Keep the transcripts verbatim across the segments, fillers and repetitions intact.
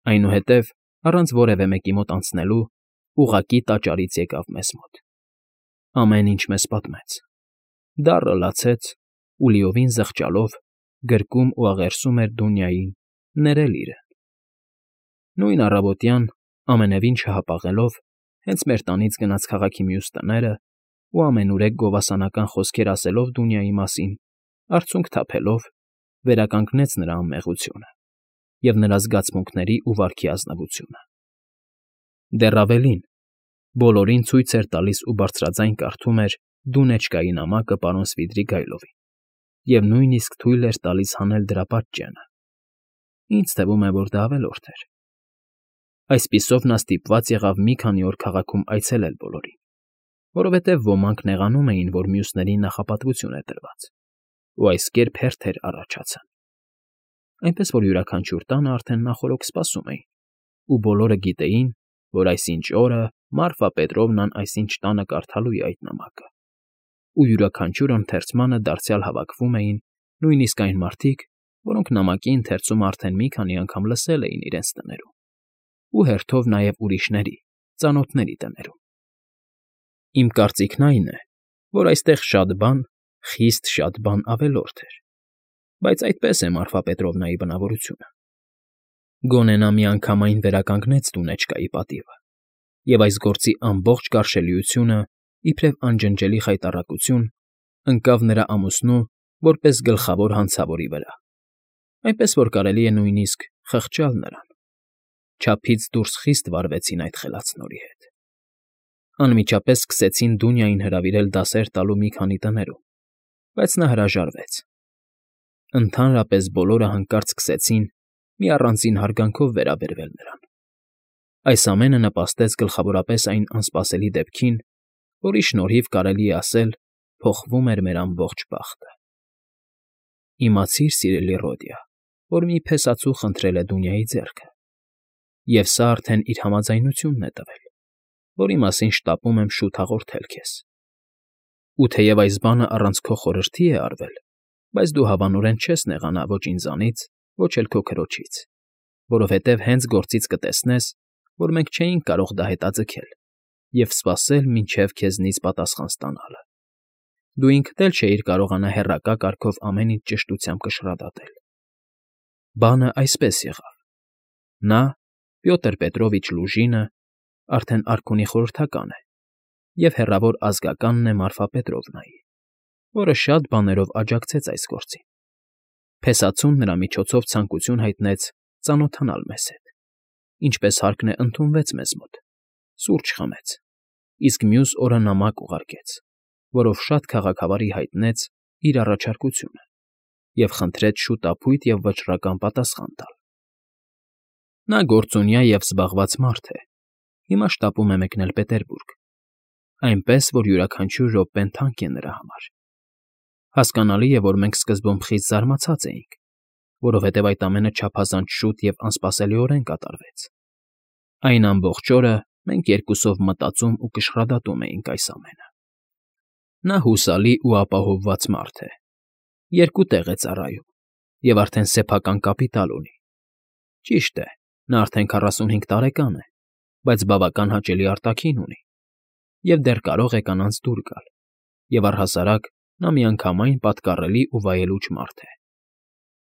Այնուհետև, առանց որևէ մեկի մոտ անցնելու, ուղղակի տաճարից եկավ մեզ մոտ, ամեն ինչ մեզ պատմեց, դառը լացեց ու, լիովին զղջալով, գրկում ու աղերսում էր Դունյային ներել իրեն։ Նույն առավոտյան, ամենևին չհապաղելով, հենց մեր տանից գնաց քաղաքի մյուս տները ու ամենուրեք գովասանական խոսքեր ասելով Դունյայի մասին, արցունք թափելով, վերականգնեց նրա անմեղությունը և նրա զգացմունքների ու վարքի ազնվությունը։ Դեռ ավելին, բոլորին ցույց էր տալիս ու բարձրաձայն կարդում էր Դունեչկայի նամակը պարոն Սվիդրիգայլովին և նույնիսկ թույլ էր տալիս հանել դրա պատճենը։ Ինձ թվում է, որ դա ավելորդ էր։ Այսպիսով նա ստիպված եղավ մի քանի օր քաղաքում այցելել բոլորին, որովհետև ոմանք նեղանում էին, որ մյուսներին նախապատվություն է տրված, ու այս կերպ հերթեր առաջացան։ Այնպես որ յուրաքանչյուր տանը արդեն նախօրոք սպասում էին, ու բոլորը գիտեին, որ այսինչ օրը Մարֆա Պետրովնան այսինչ տանը կարդալու է այդ նամակը, ու յուրաքանչյուր ընթերցմանը դարձյալ հավաքվում էին նույնիսկ այն մարդիկ, որոնք նամակի ընթերցումը արդեն մի քանի անգամ լսել էին իրենց տներում, ու հերթով նաև ուրիշների, ծանոթների տներում։ Իմ կարծիքն այն է, որ այստեղ շատ բան, խիստ շատ բան ավելորդ էր, բայց այդպես է Մարֆա Պետրովնայի բնավորությունը։ Գոնե նա միանգամայն վերականգնեց Դունեչկայի պատիվը, և այս գործի ամբողջ գարշելիությունը, իբրև անջնջելի խայտառակություն, ընկավ նրա ամուսնու որպես գլխավոր հանցավորի վրա, այնպես որ կարելի է նույնիսկ խղճալ նրան։ Չափից դուրս խիստ վարվեցին այդ խելացնորի հետ։ Անմիջապես սկսեցին Դունյային հրավիրել դասեր տալու մի քանի տներում, բայց նա հրաժարվեց։ Ընդհանրապես բոլորը հանկարծ սկսեցին մի առանձին հարգանքով վերաբերվել նրան։ Այս ամենը նպաստեց գլխավորապես այն անսպասելի դեպքին, որի շնորհիվ կարելի է ասել փոխվում էր մեր ամբողջ բախտը։ Իմացիր, սիրելի Ռոդիա, որ մի փեսացու խնդրել է Դունյայի ձեռքը, և սա արդեն իր համաձայնությունն է տվել, որի մասին շտապում եմ շուտ հաղորդել քեզ։ Ու թեև այս բանը առանց քո խորհրդի է արվել, բայց դու հավանորեն չես նեղանա ոչ ինձանից, ոչ էլ քո քրոջից, որովհետև հենց գործից կտեսնես, որ մենք չէինք կարող դա հետաձգել և սպասել մինչև քեզնից պատասխան ստանալը։ Դու ինքդ էլ չէիր կարողանա հեռակա կարգով ամեն ինչ ճշտությամբ կշռադատել։ Բանը այսպես եղավ. նա, Պյոտր Պետրովիչ Լուժինը, արդեն արքունի խորհրդական է, և հեռավոր ազգականն է Մարֆա Պետրովնայի, որը շատ բաներով աջակցեց այս գործին։ Փեսացուն նրա միջոցով ցանկություն հայտնեց ծանոթանալ մեզ հետ, ինչպես հարկն է ընդունվեց մեզ մոտ, սուրճ խմեց, իսկ մյուս օրը նամակ ուղարկեց, որով շատ քաղաքավարի հայտնեց իր առաջարկությունը և խնդրեց շուտափույթ և վճռական պատասխան տալ։ Նա գործունյա և զբաղված մարդ է, հիմա շտապում է մեկնել Պետերբուրգ, այնպես որ յուրաքանչյուր րոպեն թանկ է նրա համար։ Հասկանալի է, որ մենք սկզբում խիստ զարմացած էինք, որովհետև այդ ամենը չափազանց շուտ և անսպասելիորեն կատարվեց։ Այն ամբողջ օրը մենք երկուսով մտածում ու կշռադատում էինք այս ամենը։ Նա հուսալի ու ապահովված մարդ է, երկու տեղ է ծառայում և արդեն սեփական կապիտալ ունի։ Ճիշտ է, նա արդեն քառասունհինգ տարեկան է, բայց բավական հաճելի արտաքին ունի և դեռ կարող է կանանց դուր գալ, և առհասարակ նա միանգամայն պատկառելի ու վայելուչ մարդ է։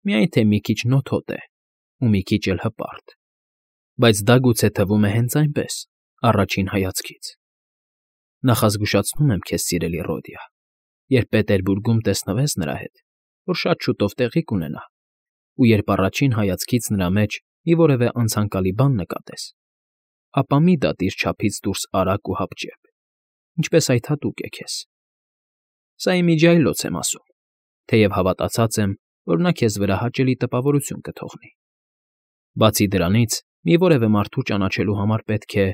Միայն թե մի քիչ նոթոտ է ու մի քիչ էլ հպարտ, բայց դա գուցե թվում է հենց այնպես, առաջին հայացքից։ Նախազգուշացնում եմ քեզ, սիրելի Ռոդիա, երբ Պետերբուրգում տեսնվես նրա հետ, որ շատ շուտով տեղի կունենա, ու երբ առաջին հայացքից նրա մեջ մի որևէ անցանկալի բան նկատես, ապա մի դատիր չափից դուրս արագ ու հապճեպ, ինչպես այդ հատուկ է քեզ։ Սա իմիջիայլոց եմ ասում, թեև հավատացած եմ, որ նա քեզ վրա հաճելի տպավորություն կթողնի։ Բացի դրանից, մի որևէ մարդու ճանաչելու համար պետք է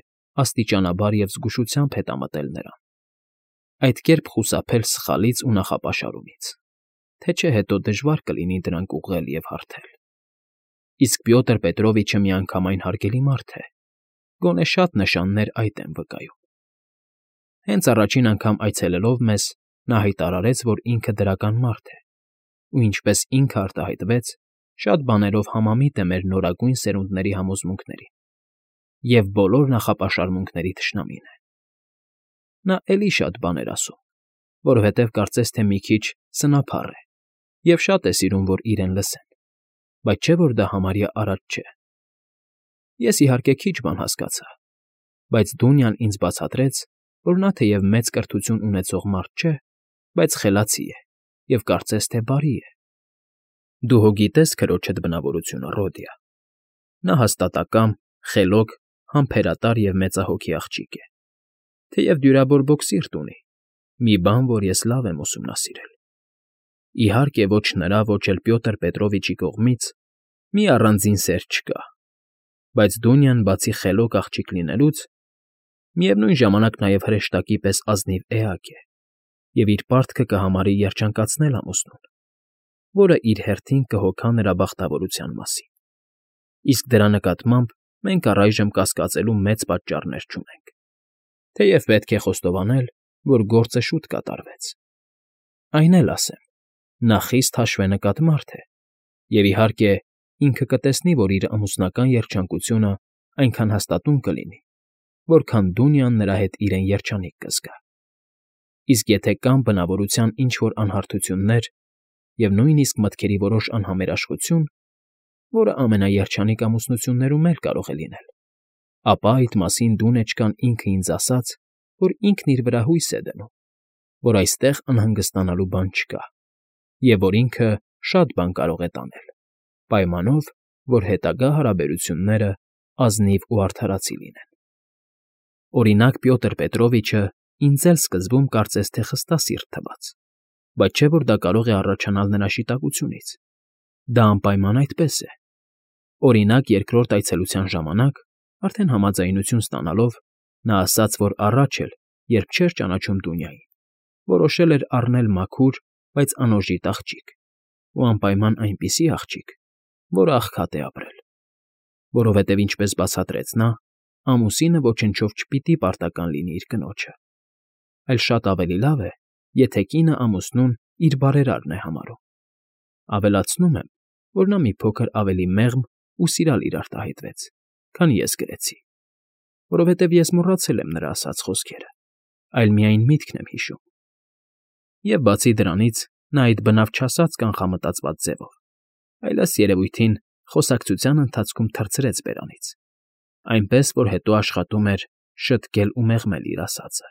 աստիճանաբար և զգուշությամբ հետամտել նրան, այդ կերպ խուսափել սխալից ու նախապաշարումից, թե չէ հետո դժվար կլինի դրանք ուղղել և հարթել։ Իսկ Պյոտր Պետրովիչը միանգամայն հարգելի մարդ է, գոնե շատ նշաններ այդ են վկայում։ Հենց առաջին անգամ այցելելով մեզ, նա հայտարարեց, որ ինքը դրական մարդ է, ու ինչպես ինքը արտահայտվեց, շատ բաներով համամիտ է մեր նորագույն սերունդների համոզմունքներին և բոլոր նախապաշարմունքների թշնամին է։ Նա էլի շատ բաներ ասում, որովհետև կարծես թե մի քիչ սնափառ է և շատ է սիրում, որ իրեն լսեն, բայց չէ՞ որ դա համարյա արած չէ։ Ես, իհարկե, քիչ բան հասկացա, բայց Դունյան ինձ բացատրեց, որ նա թեև մեծ կրթություն ունեցող մարդ չէ, բայց խելացի է և կարծես թե բարի է։ Դու հո գիտես քրոջդ բնավորությունը, Ռոդիա. նա հաստատակամ, խելոք, համբերատար և մեծահոգի աղջիկ է, թեև դյուրաբորբոք սիրտ ունի, մի բան, որ ես լավ եմ ուսումնասիրել։ Իհարկե, ոչ նրա, ոչ էլ Պյոտր Պետրովիչի կողմից մի առանձին սեր չկա, բայց Դունյան, բացի խելոք աղջիկ լինելուց, միևնույն ժամանակ նաև հրեշտակի պես ազնիվ էակ է և իր պարտքը կհամարի երջանկացնել ամուսնուն, որը իր հերթին կհոգա նրա բախտավորության մասին, իսկ դրա նկատմամբ մենք առայժմ կասկածելու մեծ պատճառներ չունենք, թեև պետք է խոստովանել, որ գործը շուտ կատարվեց։ Այն էլ ասեմ, նա խիստ հաշվենկատ մարդ է և, իհարկե, ինքը կտեսնի, որ իր ամուսնական երջանկությունը այնքան հաստատուն կլինի, որքան Դունյան նրա հետ իրեն երջանիկ կզգա։ Իսկ եթե կան բնավորության ինչ֊որ անհարթություններ և նույնիսկ մտքերի որոշ անհամերաշխություն, որը ամենաերջանիկ ամուսնություններում էլ կարող է լինել, ապա այդ մասին Դունեչկան ինքը ինձ ասաց, որ ինքն իր վրա հույս է դնում, որ այստեղ անհանգստանալու բան չկա և որ ինքը շատ բան կարող է տանել, պայմանով, որ հետագա հարաբերությունները ազնիվ ու արդարացի լինեն։ Օրինակ, Պյոտր Պետրովիչը ինձ էլ սկզբում կարծես թե խստասիրտ թվաց, բայց չէ՞ որ դա կարող է առաջանալ նրա շիտակությունից։ Դա անպայման այդպես է։ Օրինակ, երկրորդ այցելության ժամանակ, արդեն համաձայնություն ստանալով, նա ասաց, որ առաջ էլ, երբ չէր ճանաչում Դունյային, որոշել էր առնել մաքուր, բայց անօժիտ աղջիկ, ու անպայման այնպիսի աղջիկ, որը աղքատ է ապրել, որովհետև, ինչպես բացատրեց նա, ամուսինը ոչնչով չպիտի պարտական լինի իր կնոջը, այլ շատ ավելի լավ է, եթե կինը ամուսնուն իր բարերարն է համարում։ Ավելացնում եմ, որ նա մի փոքր ավելի մեղմ ու սիրալիր արտահայտվեց, քան ես գրեցի, որովհետև ես մոռացել եմ նրա ասած խոսքերը, այլ միայն միտքն եմ հիշում։ Եվ բացի դրանից, նա այդ բնավ չասաց կանխամտածված ձևով, այլ, ըստ երևույթին, խոսակցության ընթացքում թռցրեց բերանից, այնպես, որ հետո աշխատում էր շտկել ու մեղմել իր ասածը։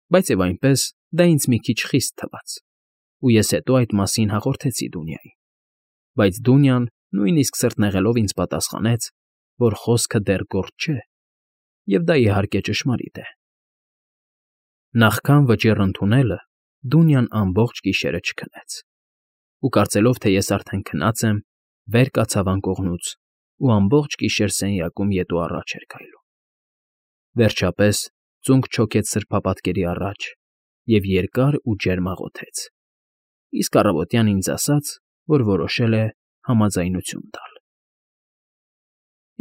Բայց և այնպես, դա ինձ մի քիչ խիստ թվաց, ու ես հետո այդ մասին հաղորդեցի Դունյային, բայց Դունյան, նույնիսկ սրտնեղելով ինձ պատասխանեց, որ խոսքը դեռ գործ չէ, և դա, իհարկե, ճշմարիտ է։ Նախքան վճիռ ընդունելը Դունյան ամբողջ գիշերը չքնեց, ու կարծելով, թե ես արդեն քնած եմ, վեր կացավ անկողնուց ու ամբողջ գիշեր սենյակում ետ ու առաջ էր քայլում։ Վերջապես ծունկ չոքեց սրբապատկերի առաջ և երկար ու ջերմ աղոթեց, իսկ առավոտյան ինձ ասաց, որ որոշել է համաձայնություն տալ։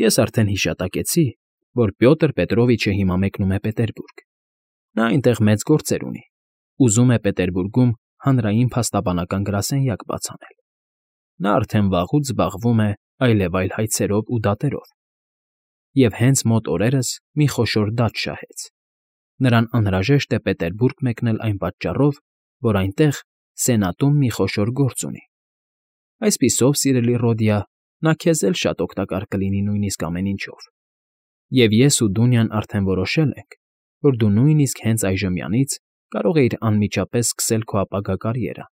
Ես արդեն հիշատակեցի, որ Պյոտր Պետրովիչը հիմա մեկնում է Պետերբուրգ։ Նա այնտեղ մեծ գործեր ունի, ուզում է Պետերբուրգում հանրային փաստաբանական գրասենյակ բաց անել։ Նա արդեն վաղուց զբաղվում է այլևայլ հայցերով ու դատերով, և հենց մոտ օրերս մի խոշոր դատ շահեց։ Նրան անհրաժեշտ է Պետերբուրգ մեկնել այն պատճառով, որ այնտեղ Սենատում մի խոշոր գործ ունի։ Այսպիսով, սիրելի Ռոդիա, նա քեզ էլ շատ օգտակար կլինի նույնիսկ ամեն ինչով։ Եվ ես ու Դունյան արդեն որոշել ենք, որ դու նույնիսկ հենց այժմյանից կարող էիր անմիջապես սկսել քո ապագա կարիերան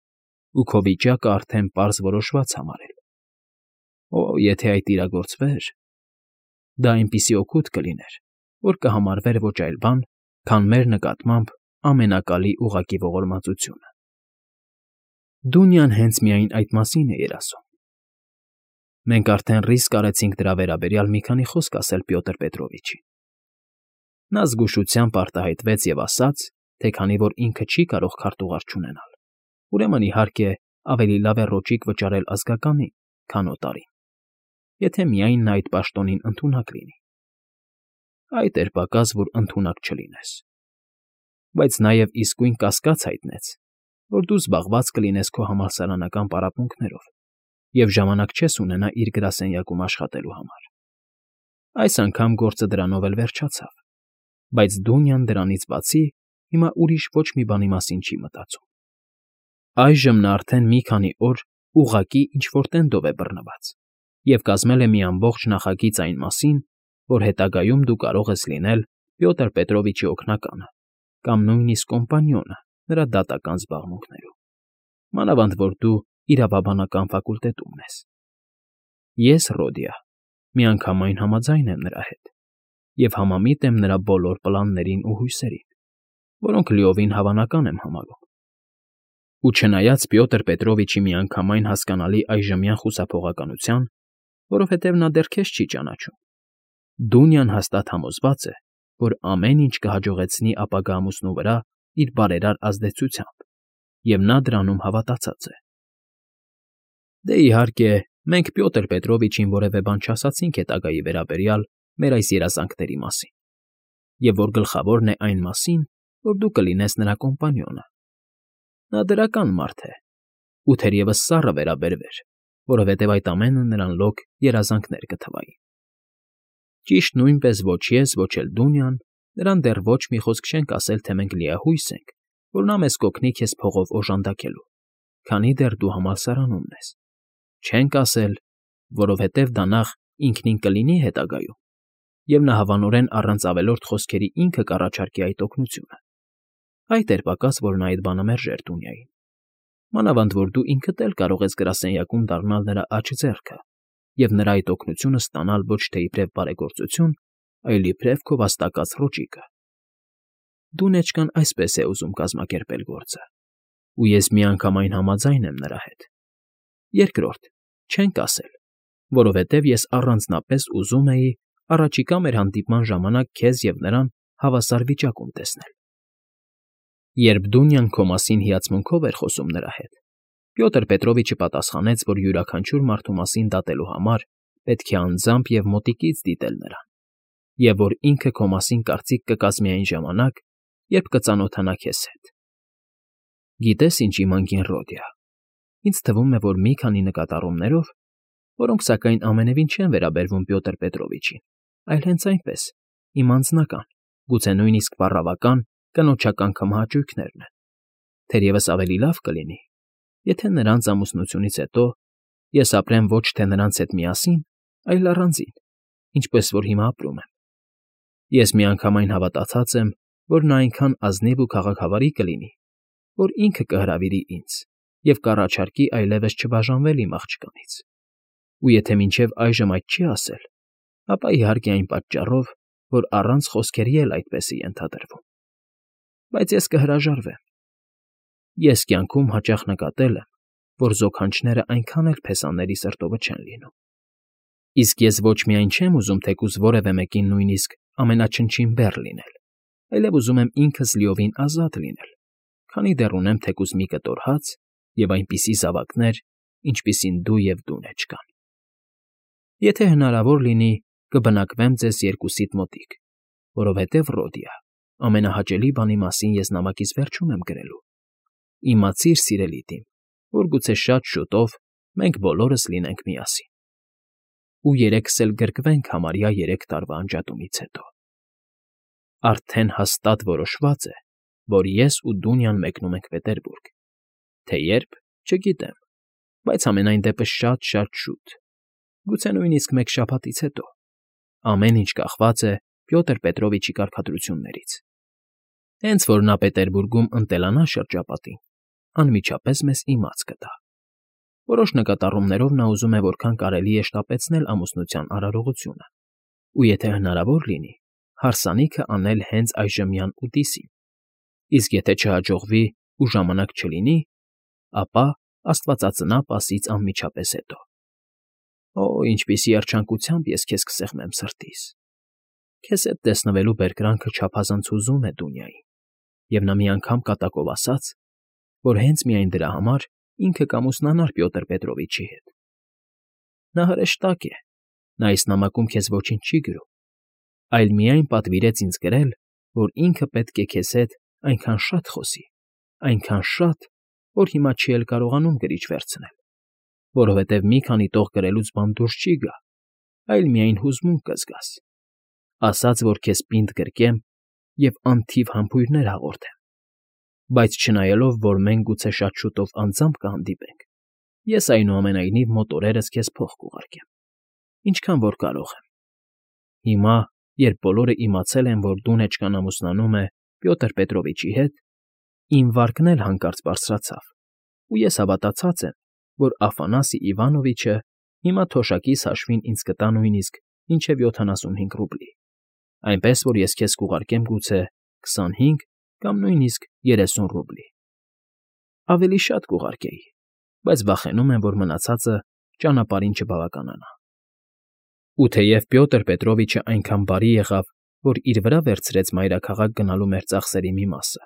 ու քո վիճակը արդեն պարզ որոշված համարել։ Օ, եթե այդ իրագործվեր… Դա այնպիսի օգուտ կլիներ, որ կհամարվեր ոչ այլ բան, քան մեր նկատմամբ ամենակալի ուղղակի ողորմածությունը։ Դունյան հենց միայն այդ մասին է երազում։ Մենք արդեն ռիսկ արեցինք դրա վերաբերյալ մի քանի խոսք ասել Պյոտր Պետրովիչին։ Նա զգուշությամբ արտահայտվեց և ասաց, թե քանի որ ինքը չի կարող քարտուղար չունենալ, ուրեմն, իհարկե, ավելի լավ է ռոճիկ վճարել ազգականին, քան օտարին, եթե միայն նա այդ պաշտոնին ընդունակ լինի։ Այդ էր պակաս, որ ընդունակ չլինես։ Բայց նաև իսկույն կասկած հայտնեց, որ դու զբաղված կլինես քո համալսարանական պարապմունքներով և ժամանակ չես ունենա իր գրասենյակում աշխատելու համար։ Այս անգամ գործը դրանով էլ վերջացավ, բայց Դունյան դրանից բացի հիմա ուրիշ ոչ մի բանի մասին չի մտածում։ Այժմ նա արդեն մի քանի օր ուղղակի ինչ֊որ տենդով է բռնված և կազմել է մի ամբողջ նախագիծ այն մասին, որ հետագայում դու կարող ես լինել Պյոտր Պետրովիչի օգնականը կամ նույնիսկ կոմպանիոնը նրա դատական զբաղմունքներում, մանավանդ որ դու իրավաբանական ֆակուլտետումն ես։ Ես, Ռոդիա, միանգամայն համաձայն եմ նրա հետ և համամիտ եմ նրա բոլոր պլաններին ու հույսերին, որոնք լիովին հավանական եմ համարում։ Ու չնայած Պյոտր Պետրովիչի միանգամայն հասկանալի այժմյան խուսափողականության, որովհետև նա դեռ քեզ չի ճանաչում, Դունյան հաստատ համոզված է, որ ամեն ինչ կհաջողեցնի ապագա ամուսնու վրա իր բարերար ազդեցությամբ, և նա դրանում հավատացած է։ Դե, իհարկե, մենք Պյոտր Պետրովիչին որևէ բան չասացինք հետագայի վերաբերյալ մեր այս երազանքների մասին, և որ գլխավորն է այն մասին, որ դու կլինես նրա կոմպանիոնը։ Նա դրական մարդ է, ու թերևս սառը վերաբերվեր, որովհետև այդ ամենը նրան լոկ երազանքներ կթվային։ Ճիշտ նույնպես ոչ ես, ոչ էլ Դունյան նրան դեռ ոչ մի խոսք չենք ասել, թե մենք լիահույս ենք, որ նա մեզ կօգնի քեզ փողով օժանդակելու, քանի դեռ դու համալսարանումն ես։ Չենք ասել, որովհետև դա նախ ինքնին կլինի հետագայում, և նա հավանորեն առանց ավելորդ խոսքերի ինքը կառաջարկի այդ օգնությունը։ Այդ էր պակաս, որ նա այդ բանը մերժեր Դունյային, մանավանդ որ դու ինքդ էլ կարող ես գրասենյակում դառնալ նրա աջ ձեռքը և նրա այդ օգնությունը ստանալ ոչ թե իբրև բարեգործություն, այլ իբրև քո վաստակած ռոճիկը։ Դունեչկան այսպես է ուզում կազմակերպել գործը, ու ես միանգամայն համաձայն եմ նրա հետ։ Երկրորդ, չենք ասել, որովհետև ես առանձնապես ուզում էի առաջիկա մեր հանդիպման ժամանակ քեզ և նրան հավասար վիճակում տեսնել։ Երբ Դունյան քո մասին հիացմունքով էր խոսում նրա հետ, Պյոտր Պետրովիչը պատասխանեց, որ յուրաքանչյուր մարդու մասին դատելու համար պետք է անձամբ և մոտիկից դիտել նրան, և որ ինքը քո մասին կարծիք կկազմի այն ժամանակ, երբ կծանոթանա քեզ հետ։ Գիտես ինչ, իմ անգին Ռոդիա, ինձ թվում է, որ մի քանի նկատառումներով, որոնք, սակայն, ամենևին չեն վերաբերվում Պյոտր Պետրովիչին, այլ հենց այնպես, իմ անձնական, գուցե նույնիսկ պառավական, կնոջական քմահաճույքներն են, թերևս ավելի լավ կլինի, եթե նրանց ամուսնությունից հետո ես ապրեմ ոչ թե նրանց հետ միասին, այլ առանձին, ինչպես որ հիմա ապրում եմ։ Ես միանգամայն հավատացած եմ, որ նա այնքան ազնիվ ու քաղաքավարի կլինի, որ ինքը կհրավիրի ինձ և կառաջարկի այլևս չբաժանվել իմ աղջկանից։ Ու եթե մինչև այժմ այդ չի ասել, ապա իհարկե այն պատճառով, որ առանց խոսքերի էլ այդպես է ենթադրվում։ Բայց ես կհրաժարվեմ։ Ես կյանքում հաճախ նկատել եմ, որ զոքանչները այնքան էլ փեսաների սրտովը չեն լինում։ Իսկ ես ոչ միայն չեմ ուզում թեկուզ որևէ մեկին նույնիսկ ամենաչնչին բեռ լինել, այլև ուզում եմ ինքս լիովին ազատ լինել, քանի դեռ ունեմ թեկուզ մի կտոր հաց և այնպիսի զավակներ, ինչպիսին դու և Դունեչկան։ Եթե հնարավոր լինի, կբնակվեմ ձեզ երկուսիդ մոտիկ, որովհետև, Ռոդիա, ամենահաճելի բանի մասին ես նամակիս վերջում եմ գրելու։ Իմացիր, սիրելի դիմ, որ գուցե շատ շուտով մենք բոլորս լինենք միասին։ Ու երեքս էլ գրկվենք համարյա երեք տարվա անջատումից հետո։ Արդեն հաստատ որոշված է, որ ես ու Դունյան մեկնում ենք Պետերբուրգ, թե երբ, չգիտեմ, բայց համենայն դեպս շատ֊շատ շուտ, գուցե նույնիսկ մեկ շաբաթից հետո։ Ամեն ինչ կախված է Պյոտր Պետրովիչի կարգադրություններից։ Հենց որ նա Պետերբուրգում ընտելանա շրջապատին, անմիջապես մեզ իմաց կտա։ Որոշ նկատառումներով նա ուզում է որքան կարելի է շտապեցնել ամուսնության արարողությունը, ու եթե հնարավոր լինի, հարսանիքը անել հենց այժմյան ուտիսին, իսկ եթե չհաջողվի ու ժամանակ չլինի, ապա աստվածածնա Պասից անմիջապես հետո։ Օ, ինչպիսի երջանկությամբ ես քեզ կսեղմեմ սրտիս։ Քեզ հետ տեսնվելու բերկրանքը չափազանց հուզում է Դունյային, և նա մի անգամ կատակով ասաց, որ հենց միայն դրա համար ինքը կամուսնանար Պյոտր Պետրովիչի հետ։ Նա հրեշտակ է, նա այս նամակում քեզ ոչինչ չի գրում, այլ միայն պատվիրեց ինձ գրել, որ ինքը պետք է քեզ հետ այնքան շատ խոսի, այնքան շատ, որ հիմա չի էլ կարողանում գրիչ վերցնել։ որովհետև մի քանի տող գրելուց բան դուրս չի գա, այլ միայն հուզմունք կզգաս, ասած, որ քեզ պինդ գրկեմ և անթիվ համբույրներ հաղորդեմ, բայց չնայելով, որ մենք գուցե շատ շուտով անձամբ կհանդիպենք, ես այնուամենայնիվ մոտ օրերս քեզ փող կուղարկեմ, ինչքան որ կարող եմ։ Հիմա, երբ բոլորը իմացել են, որ Դունեչկան ամուսնանում է Պյոտր Պետրովիչի հետ, իմ վարկն էլ հանկարծ բարձրացավ, ու ես հավատացած եմ, որ Աֆանասի Իվանովիչը հիմա թոշակիս հաշվին ինձ կտա նույնիսկ մինչև յոթանասունհինգ ռուբլի, այնպես որ ես քեզ կուղարկեմ գուցե քսանհինգ կամ նույնիսկ երեսուն ռուբլի։ Ավելի շատ կուղարկեի, բայց վախենում եմ, որ մնացածը ճանապարհին չբավականանա։ Ու թեև Պյոտր Պետրովիչը այնքան բարի եղավ, որ իր վրա վերցրեց մայրաքաղաք գնալու մեր ծախսերի մի մասը,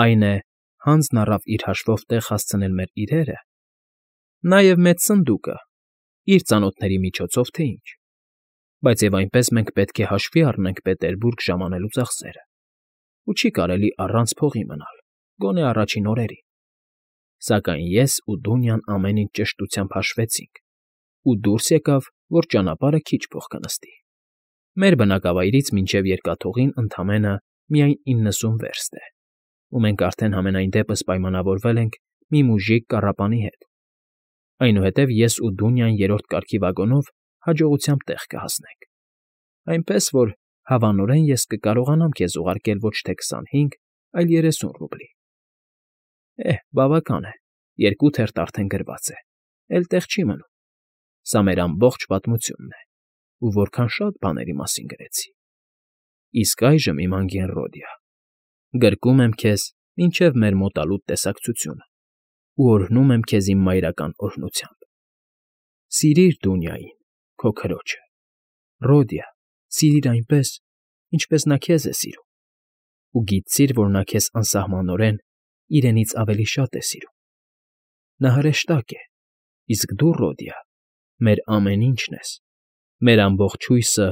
այն է, հանձն առավ իր հաշվով տեղ հասցնել մեր իրերը, նաև մեծ սնդուկը, իր ծանոթների միջոցով թե ինչ, բայց և այնպես մենք պետք է հաշվի առնենք Պետերբուրգ ժամանելու ծախսերը, ու չի կարելի առանց փողի մնալ, գոնե առաջին օրերին։ Սակայն ես ու Դունյան ամեն ինչ ճշտությամբ հաշվեցինք, ու դուրս եկավ, որ ճանապարհը քիչ փող կնստի։ Մեր բնակավայրից մինչև երկաթուղին ընդամենը միայն իննսուն վերստ է, ու մենք արդեն համենայն դեպս պայմանավորվել ենք մի մուժիկ կառապանի հետ, այնուհետև ես ու Դունյան երրորդ կարգի վագոնով հաջողությամբ տեղ կհասնենք, այնպես որ հավանորեն ես կկարողանամ քեզ ուղարկել ոչ թե քսանհինգ, այլ երեսուն ռուբլի։ Էհ, բավական է, երկու թերթ արդեն գրված է, էլ տեղ չի մնում։ Սա մեր ամբողջ պատմությունն է, ու որքան շատ բաների մասին գրեցի։ Իսկ այժմ, իմ անգին Ռոդիա, գրկում եմ քեզ մինչև մեր մոտալուտ տեսակցությունը ու օրհնում եմ քեզ իմ մայրական օրհնությամբ։ Սիրիր Դունյային, քո քրոջը, Ռոդիա, սիրիր այնպես, ինչպես նա քեզ է սիրում, ու գիտցիր, որ նա քեզ անսահմանորեն իրենից ավելի շատ է սիրում։ Նա հրեշտակ է, իսկ դու, Ռոդիա, մեր ամեն ինչն ես, մեր ամբողջ հույսը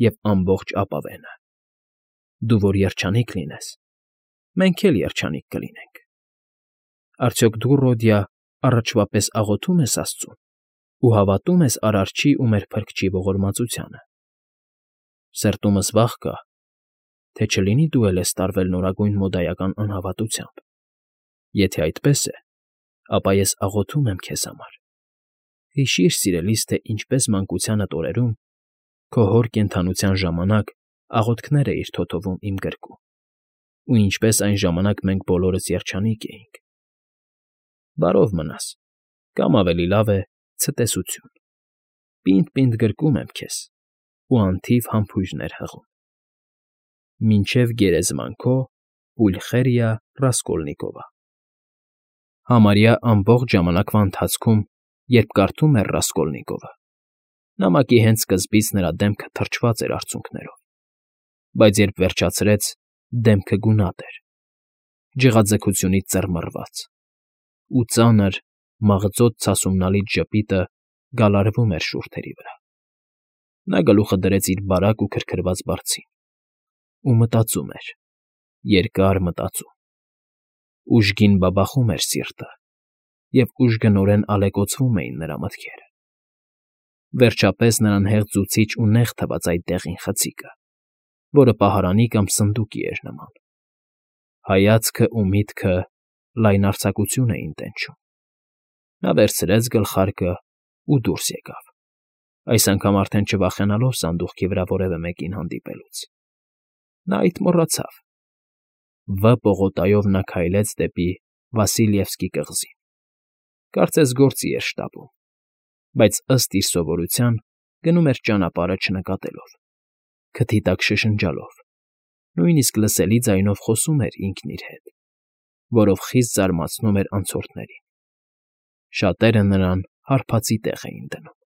և ամբողջ ապավենը։ Դու որ երջանիկ լինես, մենք էլ երջանիկ կլինենք։ Արդյոք դու, Ռոդիա, առաջվա պես աղոթում ես աստծուն ու հավատում ես Արարչի ու մեր Փրկչի ողորմածությանը։ Սրտումս վախ կա, թե չլինի դու էլ ես տարվել նորագույն մոդայական անհավատությամբ։ Եթե այդպես է, ապա ես աղոթում եմ քեզ համար։ Հիշիր, սիրելիս, թե ինչպես մանկությանդ օրերում, քո հոր կենդանության ժամանակ աղոթքներ էիր թոթովում իմ գրկում, ու ինչպես այն ժամանակ մենք բոլորս երջանիկ էինք։ Բարով մնաս, կամ ավելի լավ է ցտեսություն։ Պինդ֊պինդ գրկում եմ քեզ ու անթիվ համբույրներ հղում։ Մինչև գերեզման քո Պուլխերիա Ռասկոլնիկովա։ Համարյա ամբողջ ժամանակվա ընթացքում, երբ կարդում էր Ռասկոլնիկովը, նամակի հենց սկզբից նրա դեմքը թրջված էր արցունքներով, բայց երբ վերջացրեց, դեմքը գունատ էր, ջղաձգությունից ծռմռված, ու ծանր, մաղձոտ ցասումնալից ժպիտը գալարվում էր շուրթերի վրա։ Նա գլուխը դրեց իր բարակ ու քրքրված բարձին ու մտածում էր, երկար մտածում։ Ուժգին բաբախում էր սիրտը, և ուժգնորեն ալեկոծվում էին նրա մտքերը։ Վերջապես նրան հեղձուցիչ ու նեղ թվաց այդ դեղին խցիկը, որը պահարանի կամ սնդուկի էր նման։ Հայացքը ու միտքը լայնարձակություն էին տենչում։ Նա վերցրեց գլխարկը ու դուրս եկավ, այս անգամ արդեն չվախենալով սանդուղքի վրա որևէ մեկին հանդիպելուց։ Նա այդ մոռացավ։ Վ պողոտայով նա քայլեց դեպի Վասիլևսկի կղզին։ Կարծես գործի էր շտապում, բայց ըստ իր սովորության գնում էր ճանապարհը չնկատելով, քթի տակ շշնջալով, նույնիսկ լսելի ձայնով խոսում էր ինքն իր հետ, որով խիստ զարմացնում էր անցորդներին։ Շատերը նրան հարբածի տեղ էին դնում։